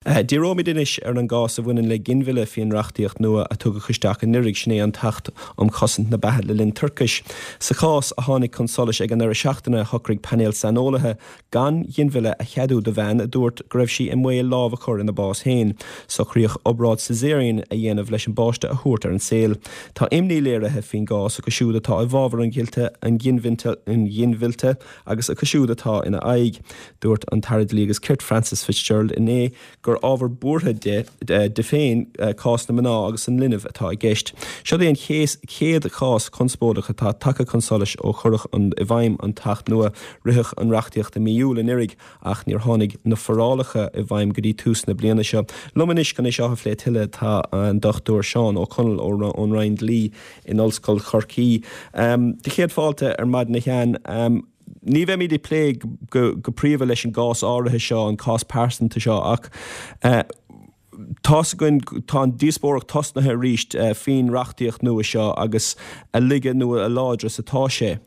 Díreoimid anois ar an gcás a bhaineann le ginmhilleadh faoin reachtaíocht nua a tugadh isteach anuraidh, sin é an tAcht um Chosaint na Beatha le linn Toirchis. Sa chás a tháinig chun solais ag an deireadh seachtaine, shocraigh painéal saineolaithe gan ghinmhilleadh a cheadú do bhean a dúirt go raibh sí i mbaol lámh a chur ina bás féin. Socraíodh obráid caesarean a dhéanamh leis an bpáiste a thabhairt ar an saol. Tá imní léirithe faoin gcás acu siúd atá i bhfabhar an ghinmhillte agus acu siúd atá ina aghaidh. Dúirt an tAire Dlí agus Cirt Frances Fitzgerald inné gur ábhar buartha di féin cás na mná agus an linbh atá i gceist. Seod é an chéad chás conspóideach atá tagtha chun solais ó cuireadh i bhfeidhm an tAcht nua. Ritheadh an reachtaíocht i mí Iúil anuraidh ach níor tháinig na forálacha i bhfeidhm go dtí tús na bliana seo. Liom anois chun é seo a phlé tuilleadh tá an Dr Seán Ó Conaill ón Roinn Dlí in Ollscoil Chorcaí. Do chéad fáilte ar maidin a Sheáin. Ní bheimid ag plé go príomha leis an gcás áirithe seo, an cás pearsanta seo, ach tá's againn, tá an díospóireacht tosnaithe arís faoin reachtaíocht nua seo agus a laige nó a láidre is atá sé.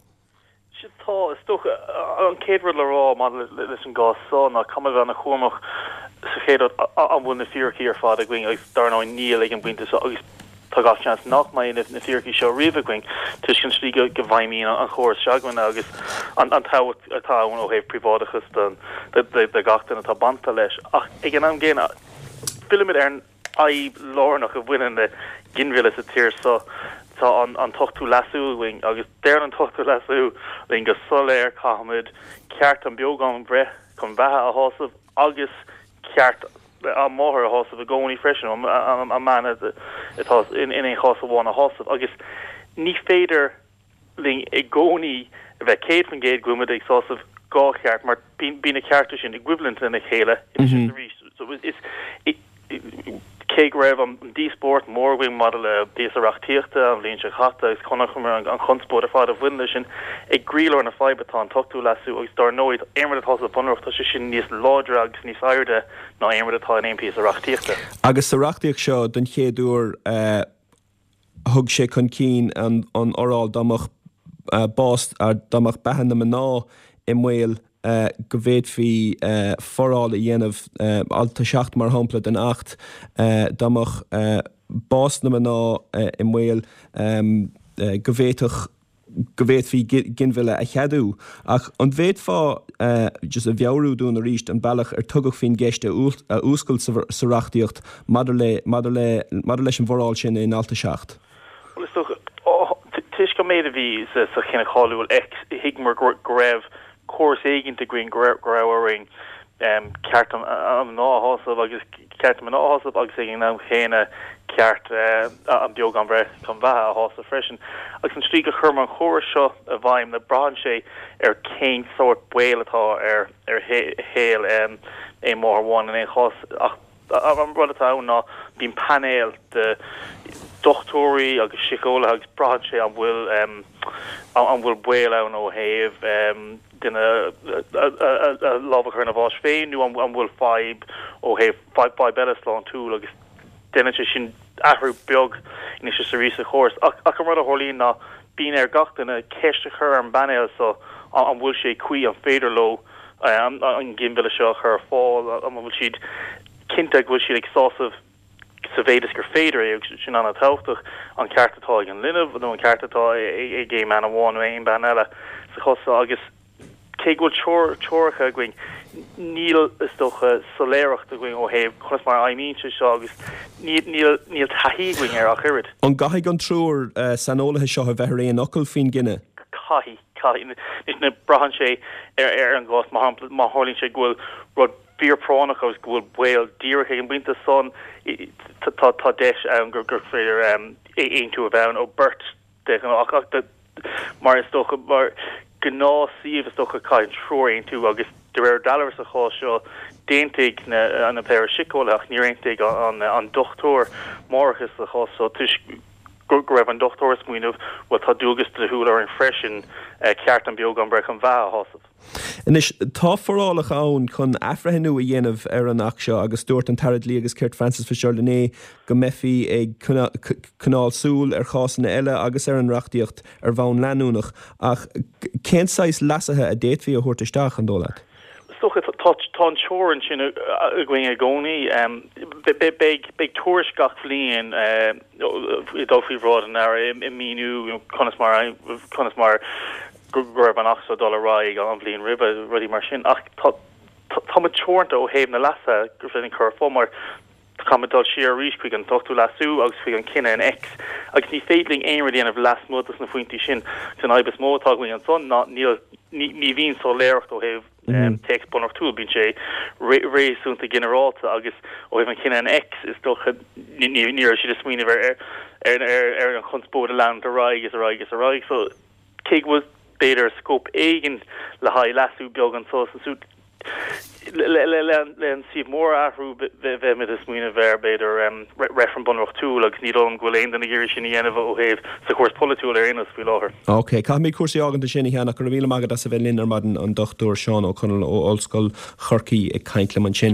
Sea, tá. Is dócha, an chéad rud le rá maidir leis an gcás seo ná caithfimid a bheith ana-chúramach sa chéad rud, an bhfuil na fíricí ar fad againn agus dar ndóigh níl ag an bpointe seo agus Tá gach seans nach mbeidh na fíricí seo riamh againn toisc an tslí go bhfeidhmíonn an chóras se'againne agus an tábhacht atá ann ó thaobh príobháideachas de gach duine atá bainte leis. Ach ag an am gcéanna, fillimid ar an fhadhb lárnach a bhaineann le ginmhilleadh sa tír seo. Tá an tOchtú Leasú againn agus deir an tOchtú Leasú linn go soiléir caithfimid ceart an beo gan bhreith chun beatha a shásamh agus ceart an mháthair a shásamh i gcónaí freisin, an mbean atá in aon chás amháin a shásamh. Agus ní féidir linn i gcónaí a bheith 100% go bhfuil muid ag sásamh dhá cheart mar bíonn na cearta sin i gcoimhlint lena chéile anois is arís. So is cé go raibh an díospóireacht mór againn maidir le píosa reachtaíochta an bhliain seo caite agus chonaiceamar an chonspóid ar fad a bhain leis sin, i gcroílár na faidhbe tá an tOchtú Leasú agus dár ndóigh aon rud atá sa Bhunreacht tá sé sin níos láidre agus níos airde ná aon rud atá in aon phíosa reachtaíochta. Agus sa reachtaíocht seo don chéad uair thug sé chun cinn an fhoráil dá mbeadh bás, dá mbeadh beatha na mná i mbaol go bhféadfaí foráil a dhéanamh, alt 7 mar shampla den Acht, dá mbeadh bás na mná i mbaol go bhféadfadh go bhféadfaí ginmhilleadh a cheadú. Ach an bhféadfá just a mheabhrú dúinn arís an bealach ar tugadh faoin gceist a fhuascailt sa reachtaíocht maidir le maidir le maidir leis an bhforáil sin in alt 7? Bhuel, is dócha, toisc an méid a bhí sa chinneadh cáiliúil X, thuigeamar go raibh córas éigint againn, go raibh orainn ceart na mná a shásamh agus ceart na mná a shásamh agus ag an am chéanna ceart an beo gan bhreith chun beatha a shásamh freisin. Agus an tslí gur chuireamar an chóras seo i bhfeidhm, ná braitheann sé ar cén sórt baol atá ar shaol aon mháthair amháin in aon chás ach An rud atá ann ná bíonn painéal de dhochtúirí agus síceolaithe agus braitheann sé an bhfuil an bhfuil baol ann ó thaobh duine lámh a chur ina bhás féin nó an bhfuil fadhb ó thaobh fadhb eile sláintiúil agus déanann sé sin athrú beag anois is arís sa chóras. Ach an rud a tharlaíonn ná bíonn ar gach duine ceist a chur ar an bpainéal so an bhfuil sé cuí, an féidir leo an ginmhilleadh seo a chur ar fáil, an bhfuil siad cinnte go bhfuil siad ag sásamh sa mhéid is gur féidir é, agus sin an-tábhachtach, an ceart atá ag an linbh nó an ceart atá ag aon bhean amháin nó aon bhean eile sa chás seo agus cé go bhfuil treoracha againn, níl, is dócha, soiléireacht againn ó thaobh conas mar a fheidhmíonn sé seo agus níl taithí againn air ach oiread. An gcaithfidh an triúr saineolaithe seo a bheith ar aon fhocal faoin gcinneadh? Caithfidh. Caithfidh. Anois, braitheann sé ar an gcás. Mar shampla, má tharlaíonn sé go bhfuil rud fíorphráinneach agus go bhfuil baol díreach ag an bpointe san, tá deis ann gur féidir aontú a bheith ann ó beirt de ghnáth. Ach mar is dócha, mar ghnáthshuíomh, is dócha, caithfidh an triúr aontú agus de réir dealraimh sa chás seo, d'aontaigh na péire síceolaithe ach níor aontaigh an dochtúir máithreachais sa chás seo toisc go raibh an dochtúir ag smaoineamh, bhuel, tá dualgas dlíthiúil orainn freisin ceart an beo gan breith chun beatha a shásamh. Anois, tá forálacha ann chun athbhreithniú a dhéanamh ar an Acht seo agus dúirt an tAire Dlí agus Cirt Frances Fitzgerald inné go mbeifí ag coinneáil súil ar chásanna eile agus ar an reachtaíocht ar bhonn leanúnach. Ach cén saghas leasuithe a d'fhéadfaí a thabhairt isteach, an dóigh leat? dócha tá tá an teorainn sin againn i gcónaí. Beidh beidh tuairisc gach bhliain ag dul faoi bhráid an Aire ag míniú conas mar conas mar go raibh an Acht seo ag dul ar aghaidh an bhliain roimhe, rudaí mar sin. Ach tá tá muid teoranta ó thaobh na leasuithe gur féidir linn cur ar fáil mar Caithfimid dul siar arís chuig an t-ochtú leasú agus chuig an cinneadh in X agus ní féidir linn aon rud a dhéanamh lasmuigh dos na pointí sin. Agus an fhadhb is mó atá againn ansan ná níl, ní bhíonn soiléireacht ó thaobh téacs bunreachtúil, bíonn sé réasúnta ginearálta agus ó thaobh an chinneadh in X is dócha ní raibh siad ag smaoineamh ar ar an chonspóid a leanúint ar aghaidh is ar aghaidh is ar aghaidh. So cé go bhfuil b'fhéidir scóip éigin le haghaidh leasú beag anso is ansúd, Le an suíomh mór a athrú, bheimid ag smaoineamh ar, b'fhéidir, reifreann bunreachtúil agus ní dóigh liom go bhfuil aon duine ag iarraidh sin a dhéanamh ó thaobh sa chúrsa polaitiúil ar aon nós faoi láthair. Ok, caithfimid cúrsaí a fhágaint ansin, a Sheáin, ach go raibh míle maith agat as a bheith linn ar maidin, an Dr Seán Ó Conaill ó Ollscoil Chorcaí ag caint liom ansin.